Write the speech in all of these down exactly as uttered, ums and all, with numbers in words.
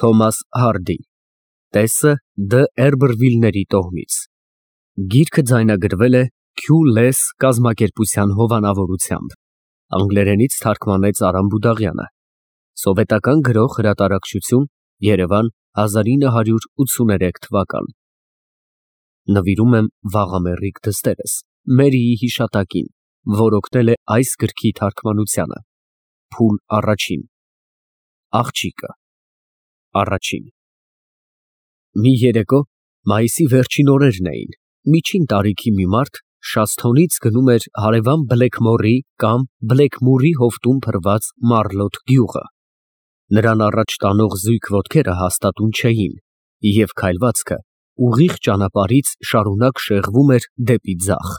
Թոմաս Հարդի Տեսը Դ. Էրբրվիլների տոհմից Գիրքը ձայնագրվել է Քյու Լես կազմակերպության հովանավորությամբ, անգլերենից թարգմանեց Արամ Բուդաղյանը, սովետական գրող հրատարակչություն, Երևան, հազար ինը հարյուր ութսուներեք թվական Նվիրում եմ վաղամեռիկ դստերս, Մերիի հիշատակին, որ օգնել է այս գրքի թարգմանությանը, Փուլ առաջին Աղջիկը Առաջին Մի երեկո, մայիսի վերջին օրերն էին, միջին տարիքի մի մարդ Շասթոնից գնում էր հարևան Բլեքմորի կամ Բլեքմուրի հովտում փռված Մարլոտ գյուղը, նրան առաջ տանող զույգ ոտքերը հաստատուն չէին և քայլվածքը ուղիղ ճանապարհից շարունակ շեղվում էր դեպի ձախ,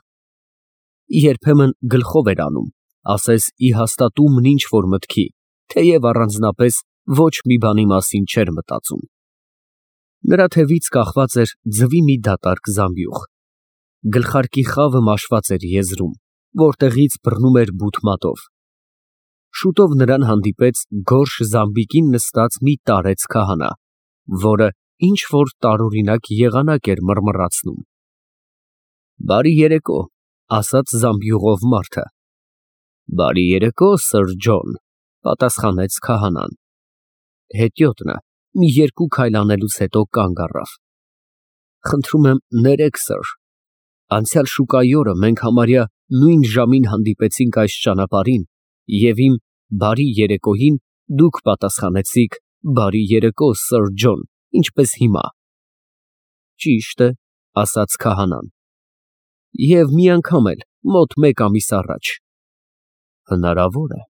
երբեմն գլխով էր անում, ասես ի հաստատումն ինչ-որ մտքի, թեև առանձնապես ոչ մի բանի մասին չէր մտածում, նրա թևից կախված էր ձվի մի դատարկ զամբյուղ, գլխարկի խավը մաշված էր եզրում, որտեղից բռնում էր բութ մատով, շուտով նրան հանդիպեց գորշ զամբիկին նստած մի տարեց քահանա, որը ինչ-որ տարօրինակ եղանակ էր մռմռացնում։ Բարի երեկո, ասաց զամբյուղով մարդը։ Բարի երեկո, սըր Ջոն, պատասխանեց քահանան։ Հետիոտնը մի երկու քայլ անելուց հետո կանգ առավ։ Խնդրում եմ ներեք, սըր, անցյալ շուկայի օրը մենք համարյա նույն ժամին հանդիպեցինք այս ճանապարհին և իմ բարի երեկոյին դուք պատասխանեցիք բարի երեկո, սըր Ջոն, ինչպես հիմա։ Ճիշտ է, ասաց քահանան, և մի անգամ էլ մոտ մեկ ամիս առաջ։ Հնարավոր է։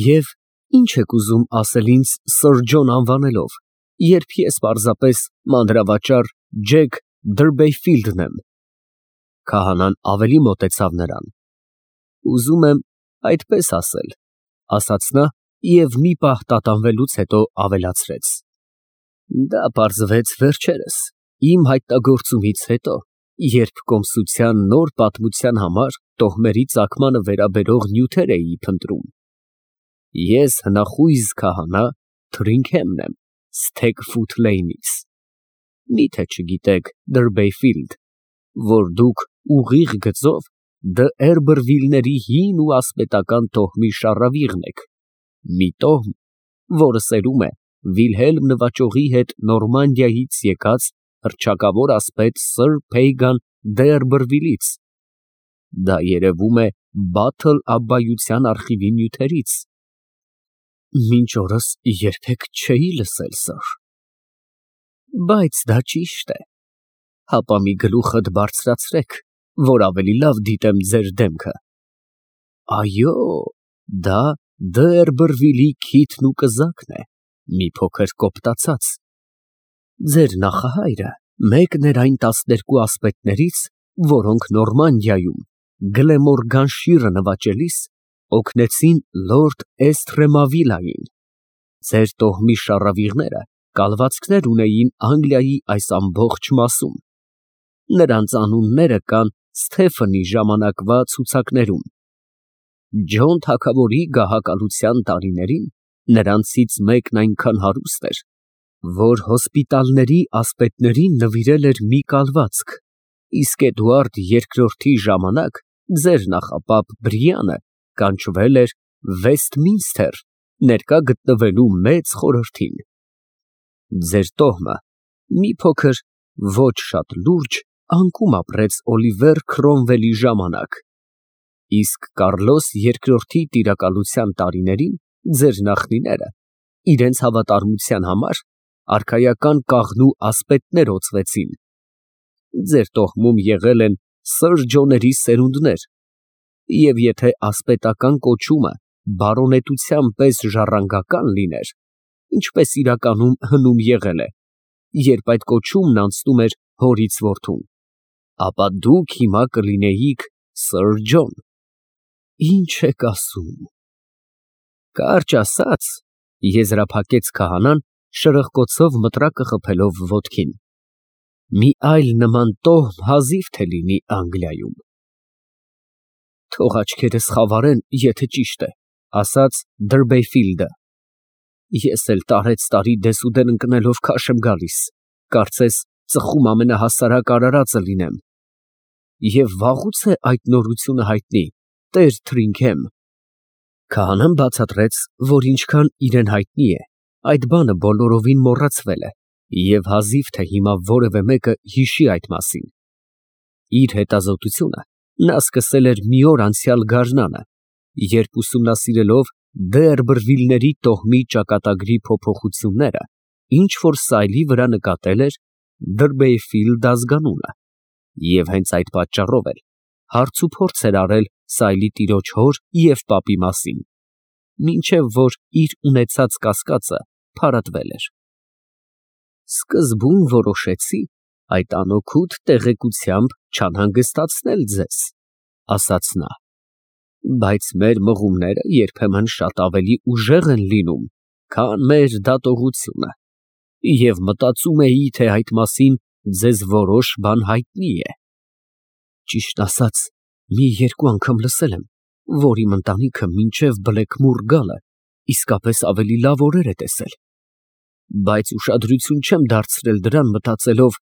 Եվ ինչ եք ուզում ասել ինձ սըր Ջոն անվանելով, երբ ես պարզապես մանրավաճառ Ջեք Դըրբեյֆիլդն եմ։ Քահանան ավելի մոտեցավ նրան։ Ուզում եմ այդպես ասել, ասաց նա և մի պահ տատանվելուց հետո ավելացրեց. Դա պարզվեց վերջերս, իմ հայտնագործումից հետո, երբ կոմսության նոր պատմության համար տոհմերի ծագմանը վերաբերող նյութեր էի փնտրում։ Ես հնախույզ քահանա Թրինգհեմն եմ, Սթեգֆութ Լեյնից։ Մի՞թե չգիտեք, Դըրբեյֆիլդ, որ դուք ուղիղ գծով Դ. Էրբրվիլների հին ու ասպետական տոհմի շառավիղն եք, մի տոհմ, որը սերում է Վիլհելմ նվաճողի հետ Նորմանդիայից եկած հռչակավոր ասպետ սըր Փեյգան դե Էրբրվիլից։ Դա երևում է Բաթլ abբայության արխիվի նյութերից։ Մինչ օրս երբեք չէի լսել, սըր։ Բայց դա ճիշտ է։ Հապա մի գլուխդ բարձրացրեք, որ ավելի լավ դիտեմ ձեր դեմքը։ Այո, դա Դ. Էրբրվիլի քիթն ու կզակն է, մի փոքր կոպտացած։ Ձեր նախահայրը մեկն էր այն տասներկու ասպետներից, որոնք Նորմանդիայում Գլեմորգանշիրը նվաճելիս օգնեցին լորդ Էսթրեմավիլային։ Ձեր տոհմի շառավիղները կալվածքներ ունեին Անգլիայի այս ամբողջ մասում։ Նրանց անունները կան Սթեֆենի ժամանակվա ցուցակներում։ Ջոն թագավորի գահակալության տարիներին նրանցից մեկն այնքան հարուստ էր, որ հոսպիտալների ասպետներին նվիրել էր մի կալվածք, իսկ Էդուարդ երկրորդի ժամանակ ձեր նախապապ Բրիանը կանչվել էր Վեսթմինսթեր, ներկա գտնվելու մեծ խորհրդին։ Ձեր տոհմը մի փոքր ոչ շատ լուրջ անկում ապրեց Օլիվեր Քրոմվելի ժամանակ, իսկ Կառլոս երկրորդի տիրակալության տարիներին ձեր նախնիները իրենց հավատարմության համար արքայական կաղնու ասպետներ օծվեցին։ Ձեր տոհմում եղել են սըր Ջոների սերունդներ, և եթե ասպետական կոչումը բարոնետության պես ժառանգական լիներ, ինչպես իրականում հնում եղել է, երբ այդ կոչումն անցնում էր հորից որդուն, ապա դուք հիմա կլինեիք սըր Ջոն։ Ինչ եք ասում։ Կարճ ասած, եզրափակեց քահանան, շրխկոցով մտրակը խփելով ոտքին, մի այլ նման տոհմ հազիվ թե լինի Անգլիայում։ Թող աչքերս խավարեն, եթե ճիշտ է, ասաց Դըրբեյֆիլդը։ Ես էլ տարեց տարի դեսուդեն ընկնելով քաշ եմ գալիս, կարծես ծխում ամենահասարակ արարածը լինեմ։ Եվ վաղուց է այդ նորությունը հայտնի, տեր Թրինքեմ։ Քահանան բացատրեց, որ ինչքան իրան հայտնի է, այդ բանը բոլորովին մոռացվել է, և հազիվ թե հիմա որևէ մեկը հիշի այդ մասին։ Իր հետազոտությունը նա սկսել էր մի օր անցյալ գարնանը, երբ ուսումնասիրելով Դերբրվիլների տոհմի ճակատագրի փոփոխությունները, ինչ որ սայլի վրա նկատել էր Դրբեյֆիլդ ազգանունը, և հենց այդ պատճառով էլ հարցուփորձ էր արել սայլի տիրոջ հոր և պապի մասին, մինչև որ իր ունեցած կասկածը փարատվել էր։ Սկզբում որոշեցի այդ անօգուտ տեղեկությամբ չանհանգստացնել ձեզ, ասաց նա, բայց մեր մղումները երբեմն շատ ավելի ուժեղ են լինում, քան մեր դատողությունը, և մտածում էի, թե այդ մասին ձեզ որոշ բան հայտնի է։ Ճիշտն ասած, մի երկու անգամ լսել եմ, որ իմ ընտանիքը մինչև Բլեքմուր գալը իսկապես ավելի լավ օրեր է տեսել, բայց ուշադրություն չեմ դարձրել դրան, մտածելով,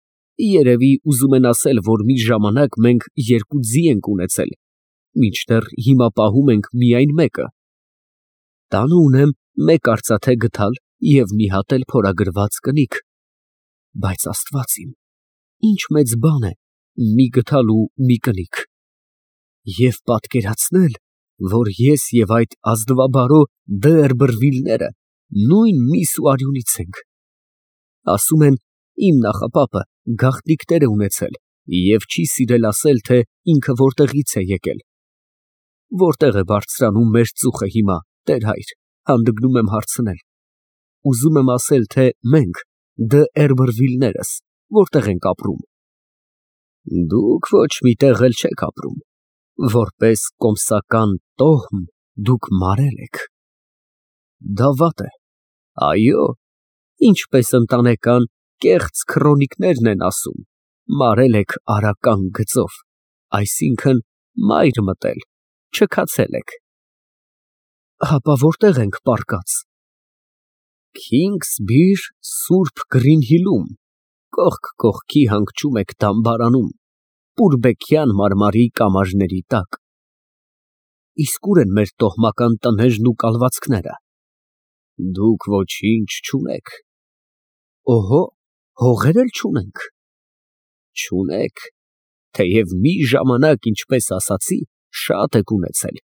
երևի ուզում են ասել, որ մի ժամանակ մենք երկու ձի ենք ունեցել, մինչդեռ հիմա պահում ենք միայն մեկը։ Տանը ունեմ մեկ արծաթե գդալ և մի հատ էլ փորագրված կնիկ, բայց Աստված իմ, ինչ մեծ բան է մի գդալ ու մի կնիկ, և պատկերացնել, որ ես և այդ ազնվաբարո Դերբրվիլները նույն միս ու արյունից ենք։ Ասում են, իմ նախապապը գաղտնիքներ է ունեցել և չի սիրել ասել, թե ինքը որտեղից է եկել։ Որտե՞ղ է բարձրանում մեր ծուխը հիմա, տեր֊հայր, հանդգնում եմ հարցնել։ Ուզում եմ ասել, թե մենք Դերբրվիլներս որտեղ ենք ապրում։ Դուք ոչ մի տեղ էլ չեք ապրում, որպես կոմսական տոհմ դուք մարել եք։ Դա վատ է, այո, ինչպես ընտանեկան կեղծ քրոնիկներն են ասում, մարել եք արական գծով, այսինքն մայր մտել, չքացել եք։ Հապա որտե՞ղ ենք պառկած։ Քինգսբիր Սուրբ Գրինհիլում, կողք կողքի հանգչում եք դամբարանում, պուրբեքյան մարմարի կամարների տակ։ Իսկ ուր են մեր տոհմական տներն ու կալվածքները։ Դուք ոչինչ չունեք։ Օհո, հողեր էլ չունենք։ Չունեք, թեև մի ժամանակ, ինչպես ասացի, շատ եք ունեցել,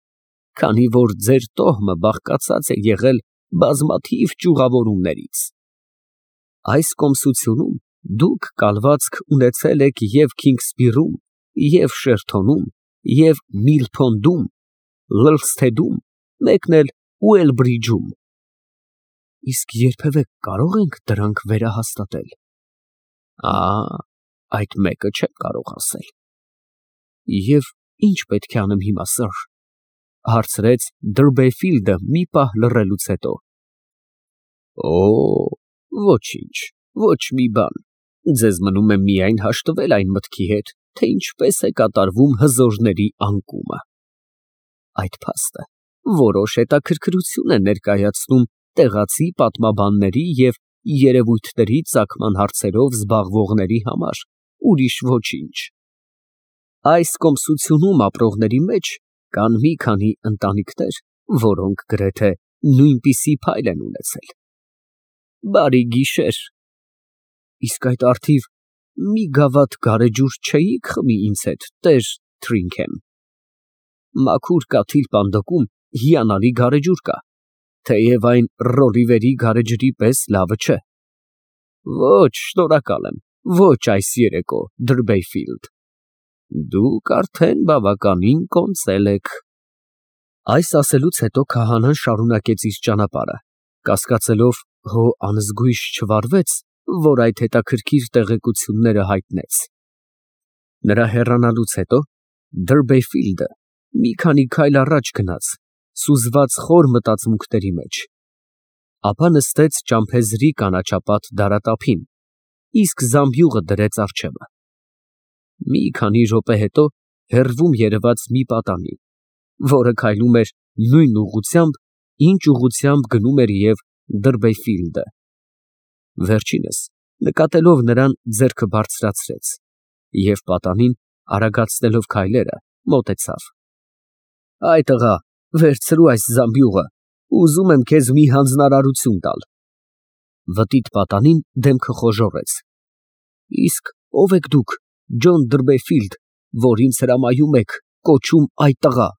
քանի որ ձեր տոհմը բաղկացած է եղել բազմաթիվ ճյուղավորումներից։ Այս կոմսությունում դուք կալվածք ունեցել եք և Քինգսբիրում, և Շերթոնում, և Միլփոնդում, Լլսթեդում, մեկն էլ Ուելբրիջում։ Իսկ երբևէ կարո՞ղ ենք դրանք վերահաստատել։ Ա, այդ մեկը չեմ կարող ասել։ Եվ ի՞նչ պետք է անեմ հիմա, սըր, հարցրեց Դրբեֆիլդը մի պահ լռելուց հետո։ Օ, ոչինչ, ոչ մի բան, ձեզ մնում է միայն հաշտվել այն մտքի հետ, թե ինչպես է կատարվում հզորների անկումը։ Այդ փաստը որոշ հետաքրքրություն է ներկայացնում տեղացի պատմաբանների և երևույթների ծագման հարցերով զբաղվողների համար, ուրիշ ոչինչ։ Այս կոմսությունում ապրողների մեջ կան մի քանի ընտանիքներ, որոնք գրեթե նույնպիսի փայլ են ունեցել։ Բարի գիշեր։ Իսկ այդ առթիվ մի գավաթ գարեջուր չէի՞ք խմի ինձ հետ, տեր Թրինքեմ։ Մաքուր կաթիլ պանդոկում հիանալի գարեջուր կա, թեև այն Ռոլիվերի գարեջրի պես լավը չէ։ Ոչ, շնորհակալ եմ, ոչ այս երեկո, Դրբեյֆիլդ։ Դուք արդեն բավականին կոնծել եք։ Այս ասելուց հետո քահանան շարունակեց իր ճանապարհը, կասկածելով, հո անզգույշ չվարվեց, որ այդ հետաքրքիր տեղեկությունները հայտնեց։ Նրա հեռանալուց հետո Դրբեյֆիլդը մի քանի քայլ առաջ գնաց, սուզված խոր մտածմունքների մեջ, ապա նստեց ճամփեզրի կանաչապատ դարատափին, իսկ զամբյուղը դրեց առջևը։ Մի քանի րոպե հետո հեռվում երևաց մի պատանի, որը քայլում էր նույն ուղղությամբ, ինչ ուղղությամբ գնում էր և Դրբեյֆիլդը։ Վերջինս, նկատելով նրան, ձեռքը բարձրացրեց և պատանին արագացնելով քայլերը, մոտեցավ։ Այ տղա, վերցրու այս զամբյուղը, ուզում եմ քեզ մի հանձնարարություն տալ։ Վտիտ պատանին դեմքը խոժոռեց։ Իսկ ո՞վ եք դուք, Ջոն Դրբեյֆիլդ, որ ինձ հրամայում եք, կոչում այ տղա։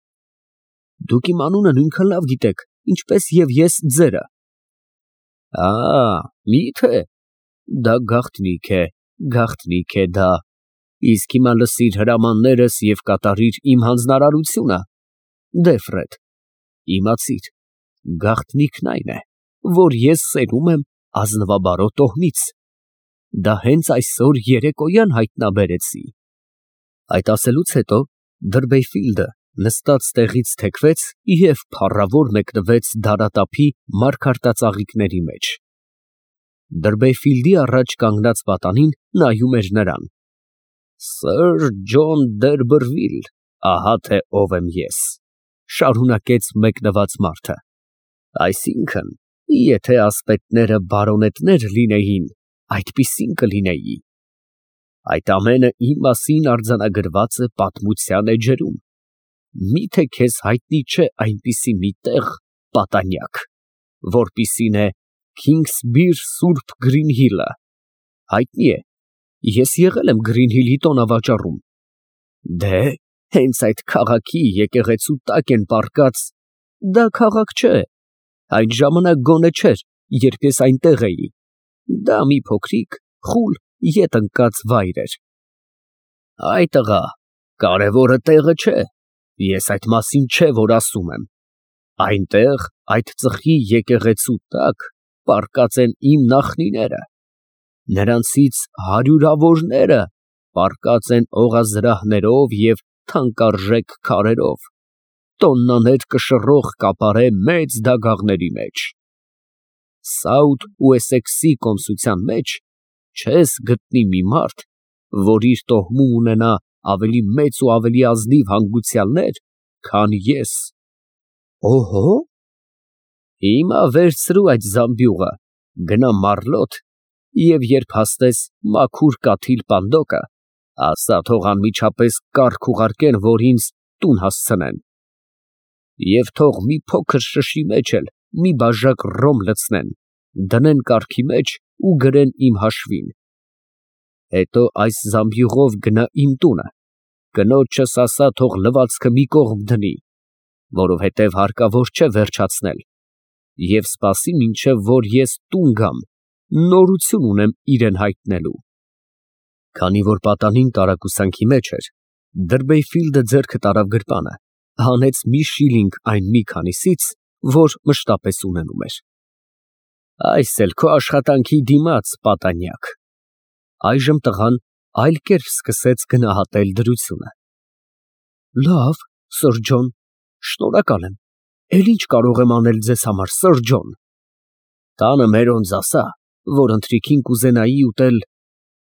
Դուք իմ անունը նույնքան լավ գիտեք, ինչպես և ես ձերը։ Ա, մի՞թե։ Դա գաղտնիք է, գաղտնիք է դա։ Իսկ հիմա լսիր հրամաններս և կատարիր իմ հանձնարարությունը։ Դե Ֆրեդ, իմացիր, գաղտնիքն այն է, որ ես սերում եմ ազնվաբարո տոհմից։ Դա հենց այսօր երեկոյան հայտնաբերեցի։ Այդ ասելուց հետո Դրբեյֆիլդը նստած տեղից թեքվեց և փառավոր մեկնվեց դարատափի մարգարտածաղիկների մեջ։ Դրբեյֆիլդի առաջ կանգնած պատանին նայում էր նրան։ Սըր Ջոն Դերբերվիլ, ահա թե ով եմ ես, շարունակեց մեկնված մարդը։ Այսինքն, եթե ասպետները բարոնետներ լինեին, այդպիսին կլինեի։ Այդ ամենը իմ մասին արձանագրված է պատմության էջերում։ Միթե քեզ հայտնի չէ այնպիսի մի տեղ, պատանյակ, որպիսին է Քինգսբիր Սուրբ Գրինհիլը։ Հայտնի է, ես եղել եմ Գրինհիլի տոնավաճառում։ Դե, հենց այդ քաղաքի եկեղեցու տակ են պառկած։ Դա քաղաք չէ, այն ժամանակ գոնե չէր, երբ ես այնտեղ էի։ Դա մի փոքրիկ, խուլ, ետ ընկած վայր էր։ Այ տղա, կարևորը տեղը չէ, ես այդ մասին չէ, որ ասում եմ։ Այնտեղ, այդ ծխի եկեղեցու տակ, պառկած են իմ նախնիները։ Նրանցից հարյուրավորները պառկած են օղազրահներով և թանկարժեք քարերով, տոննաներ կշռող կապարե մեծ դագաղների մեջ։ Սաութ Ուեսեքսի կոմսության մեջ չես գտնի մի մարդ, որ իր տոհմում ունենա ավելի մեծ ու ավելի ազնիվ հանգուցյալներ, քան ես։ Օհո։ Հիմա վերցրու այդ զամբյուղը, գնա Մարլոտ և երբ հասնես մաքուր կաթիլ պանդոկը, ասա թող անմիջապես կառք ուղարկեն, որ ինձ տուն հասցնեն։ Եվ թող մի փոքր շշի մեջ էլ մի բաժակ ռոմ լցնեն, դնեն կառքի մեջ ու գրեն իմ հաշվին։ Հետո այս զամբյուղով գնա իմ տունը, կնոջս ասա թող լվացքը մի կողմ դնի, որովհետև հարկավոր չէ վերջացնել, և սպասի մինչև որ ես տուն գամ, նորություն ունեմ իրեն հայտնելու։ Քանի որ պատանին տարակուսանքի մեջ էր, Դրբեյֆիլդը ձեռքը տարավ գրպանը, հանեց մի շիլինգ այն մի քանիսից, որ մշտապես ունենում էր։ Այս էլ քո աշխատանքի դիմաց, պատանյակ։ Այժմ տղան այլ կերպ սկսեց գնահատել դրությունը։ Լավ, սըր Ջոն, շնորհակալ եմ, էլ ինչ կարող եմ անել ձեզ համար, սըր Ջոն։ Տանը մերոնց ասա, որ ընթրիքին կուզենայի ուտել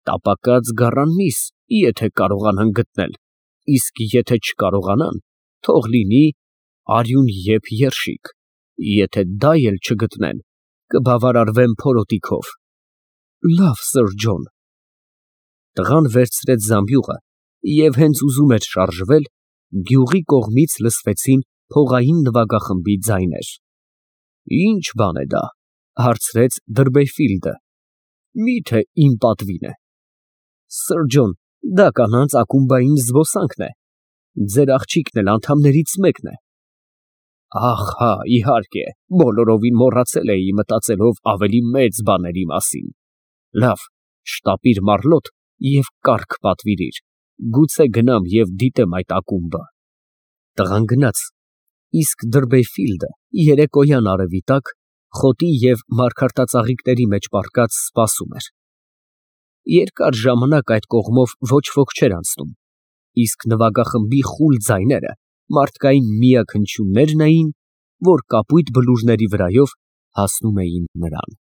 տապակած գառան միս, եթե կարողանան գտնել, իսկ եթե չկարողանան, թող լինի արյուն եփ երշիկ, եթե դա էլ չգտնեն, կբավարարվեմ փորոտիքով։ Լավ, սըր Ջոն։ Տղան վերցրեց զամբյուղը և հենց ուզում էր շարժվել, գյուղի կողմից լսվեցին փողային նվագախմբի ձայներ։ Ինչ բան է դա, հարցրեց Դրբեյֆիլդը։ Միթե իմ պատվին է։ Սըր Ջոն, դա կանանց ակումբային զբոսանքն է։ Ձեր աղջիկն էլ անդամներից մեկն է։ Ահ, հա, իհարկե, բոլորովին մոռացել էի, մտածելով ավելի մեծ բաների մասին։ Լավ, շտապիր Մարլոտ և կառք պատվիրիր, գուցե գնամ և դիտեմ այդ ակումբը։ Տղան գնաց, իսկ Դրբեյֆիլդը երեկոյան արևի տակ, խոտի և մարգարտածաղիկների մեջ պառկած սպասում էր։ Երկար ժամանակ այդ կողմով ոչ ոք չէր անցնում, իսկ նվագախմբի խուլ ձայները մարդկային միակ հնչյուններն էին, որ կապույտ բլուրների վրայով հասնում էին նրան։